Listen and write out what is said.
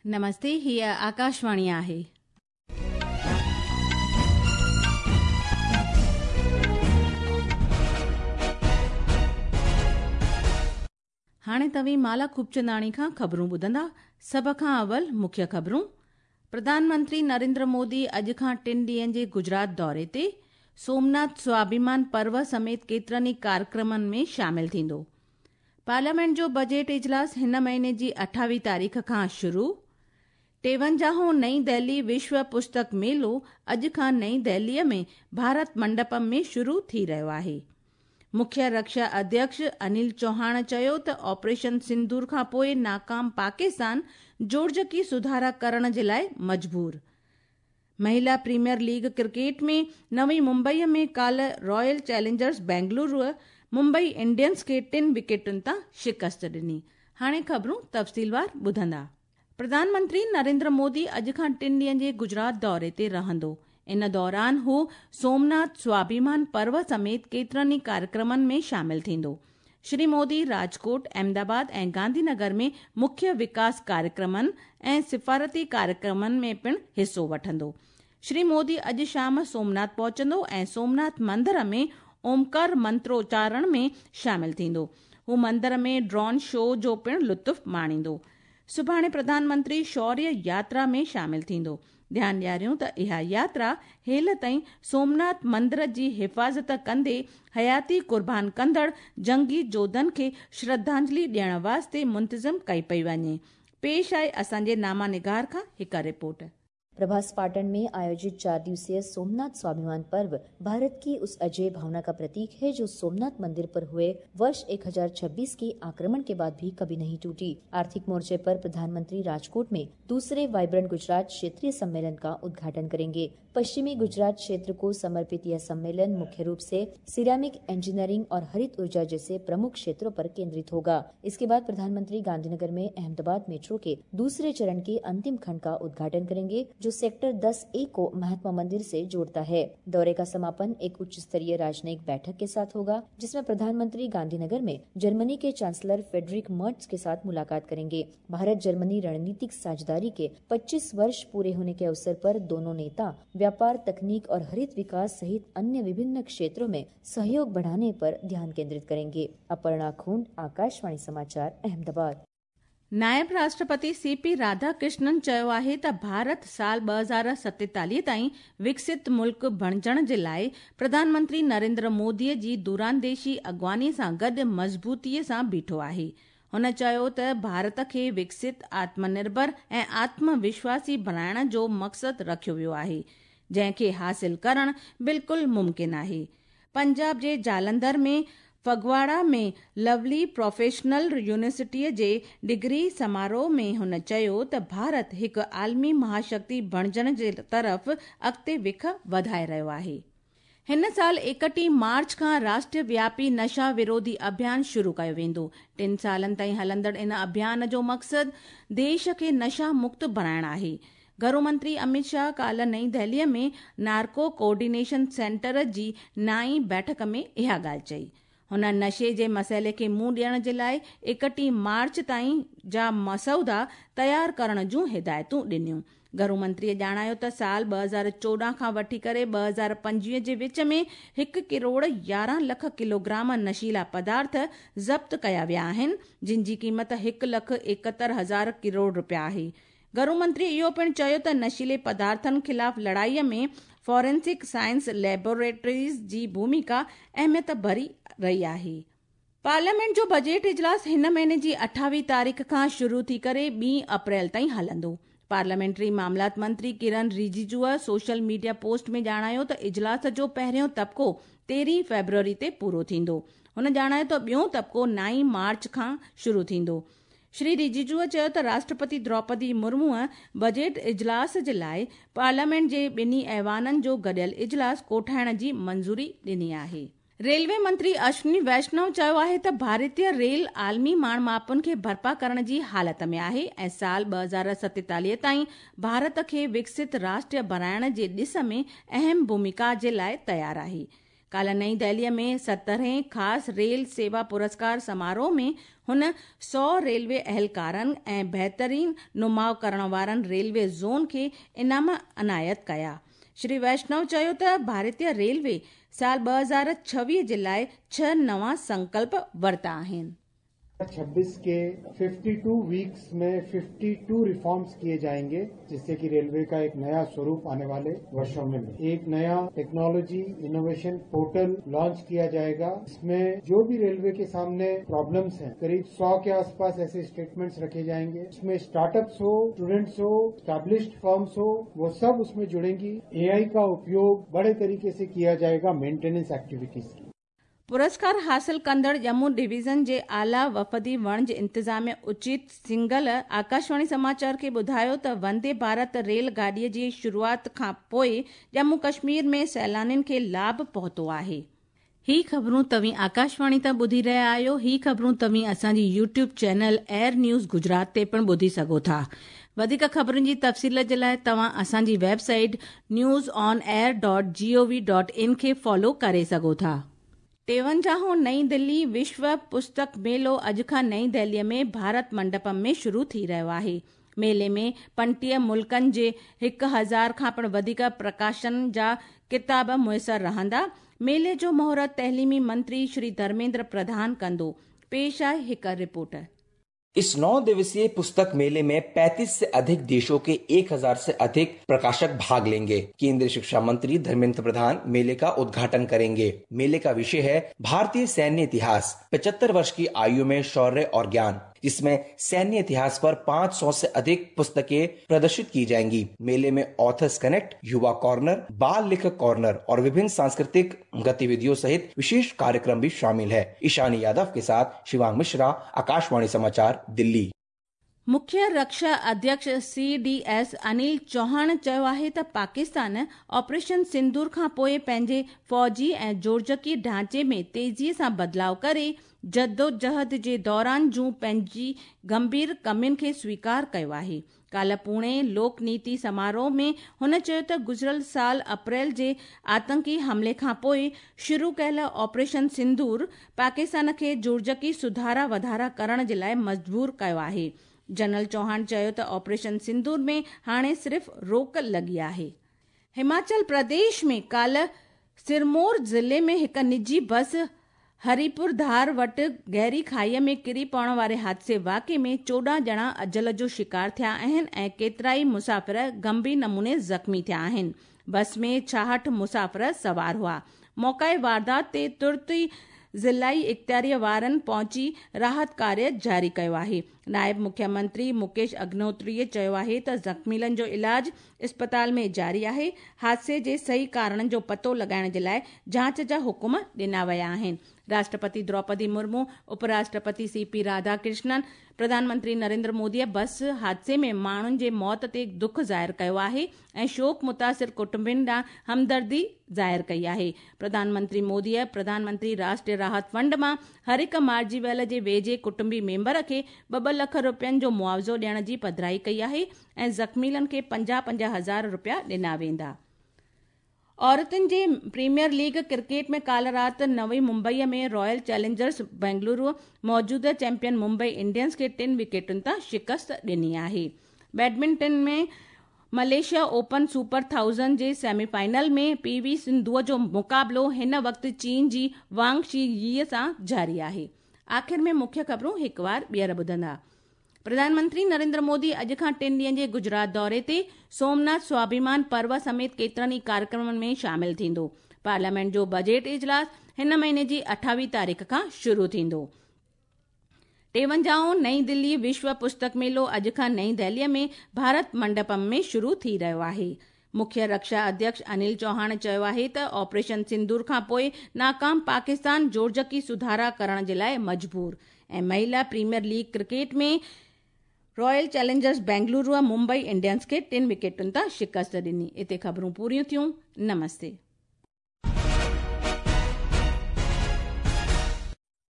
نمستي، هيء آڪاشواڻي آهي. هاڻي توهين مالا خوبچنداڻي کان خبرون ٻڌندا. سڀ کان اول مکيه خبرون. پرڌان منتري نريندر مودي اڄ کان ٽن ڏينهن جي گجرات دوري تي سومناٿ سواڀيمان پرو سميت ڪيترن ئي ڪاريڪرمن ۾ شامل ٿيندو. پارليامينٽ جو بجيٽ اجلاس هن مهيني جي اٺاويهه تاريخ کان شروع. ٽيونجاهون نئين دهلي وشو پستڪ ميلو اڄ کان نئين دهليء ۾ ڀارت منڊپم ۾ شروع ٿي رهيو آهي. مکيه رڪشا اڌيڪش انيل چوهاڻ چيو ته آپريشن سندور کان پوء ناڪام پاڪستان جوڙجڪي سڌارا ڪرڻ جي لاء مجبور. مهلا پريميئر ليگ ڪرڪيٽ ۾ نوي ممبئي ۾ ڪالهه Royal Challengers Bengaluru Mumbai Indians کي ٽن وڪيٽن تان شڪست ڏني. هاڻي خبرون تفصيلوار ٻڌندا. پرڌان منتري نريندر مودي اڄ کان ٽن ڏينهن جي گجرات دوري تي رهندو. ان دوران هو سومناٿ سواڀيمان پرو سميت ڪيترن ئي ڪاريڪرمن ۾ شامل ٿيندو. شري مودي راجڪوٽ، احمدآباد ۽ گانڌي نگر ۾ مکيه وڪاس ڪاريڪرمن ۽ سفارتي ڪاريڪرمن ۾ پڻ حصو وٺندو. شري مودي اڄ شام سومناٿ پهچندو ۽ سومناٿ مندر ۾ اومڪار منتروچارڻ ۾ شامل ٿيندو. هو مندر ۾ ڊرون شو جو پڻ لطف ماڻيندو. سڀاڻي پرڌان منتري شوريه ياترا ۾ شامل ٿيندو. ڌيان ڏياريون ته اها ياترا هيل تائين سومناٿ مندر جي حفاظت ڪندي حياتي قربان ڪندڙ جنگي جوڌن کي شرڌانجلي ڏيڻ واسطي منتظم ڪئي پئي وڃي. پيش آهي اسان جي ناما نگار کان هڪ رپورٽ. प्रभास पाटन में आयोजित 4 दिवसीय सोमनाथ स्वाभिमान पर्व भारत की उस अजय भावना का प्रतीक है जो सोमनाथ मंदिर पर हुए वर्ष 1026 के आक्रमण के बाद भी कभी नहीं टूटी। आर्थिक मोर्चे पर प्रधानमंत्री राजकोट में दूसरे वाइब्रेंट गुजरात क्षेत्रीय सम्मेलन का उद्घाटन करेंगे। पश्चिमी गुजरात क्षेत्र को समर्पित यह सम्मेलन मुख्य रूप से सिरामिक इंजीनियरिंग और हरित ऊर्जा जैसे प्रमुख क्षेत्रों पर केंद्रित होगा। इसके बाद प्रधानमंत्री गांधीनगर में अहमदाबाद मेट्रो के दूसरे चरण के अंतिम खंड का उद्घाटन करेंगे, जो सेक्टर 10 ए को महात्मा मंदिर से जोड़ता है। दौरे का समापन एक उच्च स्तरीय राजनयिक बैठक के साथ होगा, जिसमें प्रधानमंत्री गांधीनगर में जर्मनी के चांसलर फेडरिक मर्ट्स के साथ मुलाकात करेंगे। भारत जर्मनी रणनीतिक साझेदारी के 25 वर्ष पूरे होने के अवसर पर दोनों नेता व्यापार, तकनीक और हरित विकास सहित अन्य विभिन्न क्षेत्रों में सहयोग बढ़ाने पर ध्यान केंद्रित करेंगे। अपर्णा खूंट, आकाशवाणी समाचार, अहमदाबाद। नायब राष्ट्रपति सी पी राधाकृष्णन चयो आहे त भारत साल 2047 ताईं विकसित मुल्क बणजण जे लाइ प्रधानमंत्री नरेंद्र मोदीअ जी दूरांदेशी अॻवानी सां गॾु मज़बूतीअ सां बीठो आहे। हुन चयो त भारत खे विकसित, आत्मनिर्भर ऐं आत्मविश्वासी बणाइण जो मक़सदु रखियो वियो आहे, जंहिंखे हासिल करणु बिल्कुलु मुमकिन आहे। पंजाब जे जालंधर में फगवाड़ा में लवली प्रोफेशनल यूनिवर्सिटीअ जे डिग्री समारोह में हुन चयो त भारत हिकु आलमी महाशक्ति बणजण जे तरफ़ अॻिते विख वधाए रहियो आहे। हिन साल 31 मार्च खां राष्ट्रव्यापी नशा विरोधी अभियान शुरू कयो वेंदो। 3 सालनि ताईं हलंदड़ इन अभियान जो मक़सदु देश खे नशा मुक्त बणाइण आहे। घरू मंत्री अमित शाह काल्ह नई दहलीअ में नार्को कोऑर्डिनेशन सेंटर जी नाईं बैठक में इहा ॻाल्हि चई। हुन नशे जे मसइले खे मुंहुं ॾियण जे लाइ 31 मार्च ताईं जा मसौदा तयार करण जूं हिदायतूं ॾिनियूं। घरू मंत्रीअ ॼाणायो त साल 2014 खां वठी करे 2025 जे विच में 1 करोड़ 11 लख किलोग्राम नशीला पदार्थ ज़ब्त कया विया आहिनि, जिन जी क़ीमत 1,71,000 करोड़ रुपया आहे। घरू मंत्री इहो पिणु चयो त नशीले पदार्थनि ख़िलाफ़ लड़ाईअ में फॉरेंसिक साइंस लैबोरेटरीज़ जी भूमिका अहमियत भरी रही आहे। पार्लियामेंट जो बजट इजलास हिन महीने जी 28 तारीख़ खां शुरू थी करे 2 अप्रैल ताईं हलंदो। पार्लियामेंट्री मामलात मंत्री किरण रिजिजूअ सोशल मीडिया पोस्ट में ॼाणायो त इजलास जो पहिरियों तबिको 13 फेब्रुअरी ते पूरो थींदो। हुन ॼाणायो त ॿियो तबिको 9 मार्च खां शुरू थींदो। श्री रिजिजूअ चयो त राष्ट्रपति द्रौपदी मुर्मूअ बजट इजलास जे लाइ पार्लियामेंट जे ॿिन्ही ऐवाननि जो गॾियल इजलास कोठाइण जी मंज़ूरी ॾिनी आहे। रेलवे मंत्री अश्विनी वैष्णव चयो आहे त भारतीय रेल आलमी माण मापन खे बर्पा करण जी हालत में आहे ऐं साल 2047 ताईं भारत खे विकसित राष्ट्र बणाइण जे ॾिस में अहम भूमिका जे लाइ तयार आहे। काल्ह नई दिल्लीअ में 70हें ख़ासि रेल सेवा पुरस्कार समारोह में हुन 100 रेलवे अहलकारनि ऐं बहितरीन नुमाउ करण वारनि रेलवे ज़ोन खे इनाम अनायत कया। श्री वैष्णव चयो त भारतीय रेलवे साल 2026 जे लाइ 6 नवां संकल्प वरिता आहिनि। 26 के 52 वीक्स में 52 रिफॉर्म्स किए जाएंगे, जिससे कि रेलवे का एक नया स्वरूप आने वाले वर्षों में मिले। एक नया टेक्नोलॉजी इनोवेशन पोर्टल लॉन्च किया जाएगा। इसमें जो भी रेलवे के सामने प्रॉब्लम्स हैं, करीब 100 के आसपास ऐसे स्टेटमेंट्स रखे जाएंगे। इसमें स्टार्टअप्स हो, स्टूडेंट्स हो, एस्टैब्लिश्ड फर्म्स हो, वो सब उसमें जुड़ेंगी। एआई का उपयोग बड़े तरीके से किया जाएगा मेंटेनेंस एक्टिविटीज की। पुरस्कार हासिल कंदड़ जम्मू डिवीज़न जे आला वफ़दी वणज इंतिज़ामिया उचित सिंघल आकाशवाणी समाचार खे ॿुधायो त वंदे भारत रेल गाॾीअ जी शुरूआत खां पोइ जम्मू कश्मीर में सैलानियुनि खे लाभ पहुतो आहे। ही ख़बरूं तव्हीं आकाशवाणी तां ॿुधी रहिया आहियो। ही ख़बरूं तव्हीं असांजी YouTube channel AIR news Gujarat ते पिणु ॿुधी सघो था। वधीक ख़बरुनि जी तफ़सील जे लाइ तव्हां असांजी वेबसाइट newsonair.gov.in खे फॉलो करे सघो था। 53वां नई दिल्ली विश्व पुस्तक मेलो अॼु खां नई दिल्लीअ में भारत मंडपम में शुरू थी रहियो आहे। मेले में 35 मुल्कनि जे 1000 खां पिणु वधीक प्रकाशन जा किताब मुयसर रहंदा। मेले जो मुहूर्त तइलीमी मंत्री श्री धर्मेंद्र प्रधान कंदो। पेश आहे हिकु रिपोर्ट। इस 9 दिवसीय पुस्तक मेले में 35 से अधिक देशों के 1000 से अधिक प्रकाशक भाग लेंगे। केंद्रीय शिक्षा मंत्री धर्मेंद्र प्रधान मेले का उद्घाटन करेंगे। मेले का विषय है भारतीय सैन्य इतिहास, 75 वर्ष की आयु में शौर्य और ज्ञान, जिसमें सैन्य इतिहास पर 500 से अधिक पुस्तकें प्रदर्शित की जाएंगी। मेले में ऑथर्स कनेक्ट, युवा कॉर्नर, बाल लेखक कॉर्नर और विभिन्न सांस्कृतिक गतिविधियों सहित विशेष कार्यक्रम भी शामिल है। ईशानी यादव के साथ शिवांग मिश्रा, आकाशवाणी समाचार, दिल्ली। मुख्य रक्षा अध्यक्ष CDS Anil Chauhan चयो आहे त पाकिस्तान ऑपरेशन सिंदूर खां पोइ पंहिंजे फ़ौजी ऐं जोड़जकी ढांचे में तेज़ीअ सां बदिलाव करे जदोजहद जे दौरान जूं पंहिंजी गंभीर कमियुनि खे स्वीकार कयो आहे। काल्ह पुणे लोक नीति समारोह में हुन चयो त गुज़िरियल साल अप्रैल जे आतंकी हमले खां पोइ शुरू कयल ऑपरेशन सिंदूर पाकिस्तान खे जोड़जकी सुधारा वाधारा करण जे लाइ मजबूर कयो आहे। जनरल चौहान चयो त ऑपरेशन सिंदूर में हाणे सिर्फ़ रोक लॻी आहे। हिमाचल प्रदेश में काल्ह सिरमौर ज़िले में हिकु निजी बस हरीपुर धार वटि गहरी खाईअ में किरी पवण वारे हादसे वाक़े में 14 ॼणा अजल जो शिकार थिया आहिनि ऐं केतिरा ई मुसाफ़िर गंभीर नमूने ज़ख़्मी थिया आहिनि। बस में 66 मुसाफ़िर सवार हुआ। मौक़ाए वारदात ते तुर्त ई ज़िलाई इख़्तियारीअ वारनि पहुची राहत कार्य जारी कयो आहे। नायब मुख्यमंत्री मुकेश अग्निहोत्रीअ चयो आहे त ज़ख़्मियुनि जो इलाज अस्पताल में जारी आहे। हादसे जे सही कारणनि जो पतो लॻाइण जे लाइ जांच जा हुकुम ॾिना विया आहिनि। राष्ट्रपति द्रौपदी मुर्मू, उपराष्ट्रपति CP Radhakrishnan, प्रधानमंत्री नरेंद्र मोदीअ बस हादसे में माण्हुनि जे मौत ते दुख ज़ाहिर कयो आहे ऐं शोक मुतासिर कुटुंबनि ॾांहुं हमदर्दी ज़ाहिर कई आहे। प्रधानमंत्री मोदीअ प्रधानमंत्री राष्ट्रीय राहत फंड मां हर हिकु मारिजी वियल जे वेझे कुटुंबी मेंबर खे 2-2 लख रुपयनि जो मुआवज़ो ॾियण जी पधराई कई आहे ऐं ज़ख़्मियुनि खे 50-50 हज़ार रुपया ॾिना वेंदा। औरतुनि जे प्रीमियर लीग क्रिकेट में काल्ह राति नवी मुंबईअ में रॉयल चैलेंजर्स बेंगलुरु मौजूदा चैंपियन मुंबई इंडियंस खे 3 विकेटुनि तां शिकस्त ॾिनी आहे। Badminton में मलेशिया ओपन सुपर 1000 जे सेमीफाइनल में PV सिंधुअ जो मुक़ाबिलो हिन वक़्तु चीन जी वांग she यी सां जारी आहे। आख़िर में मुख्य ख़बरूं हिकु वार ॿीहर ॿुधंदा। प्रधानमंत्री नरेंद्र मोदी अॼु खां 3 ॾींहनि जे गुजरात दौरे ते सोमनाथ स्वाभिमान पर्व समेत केतिरनि ई कार्यक्रमनि में शामिल थींदो। पार्लियामेंट जो बजट इजलास हिन महीने जी 28 तारीख़ खां शुरू थींदो। 53वां नई दिल्ली विश्व पुस्तक मेलो अॼु खां नई दिल्लीअ में भारत मंडपम में शुरू थी रहियो आहे। मुख्य रक्षा अध्यक्ष अनिल चौहान चयो आहे त ऑपरेशन सिंदूर खां पोइ नाकाम पाकिस्तान जोड़जकी सुधारा करण जे लाइ मजबूर। ऐं महिला प्रीमियर लीग क्रिकेट में Royal Challengers Bengaluru Mumbai Indians खे 3 विकेटुनि तां शिकस्त ॾिनी। हिते ख़बरूं पूरियूं थियूं। नमस्ते।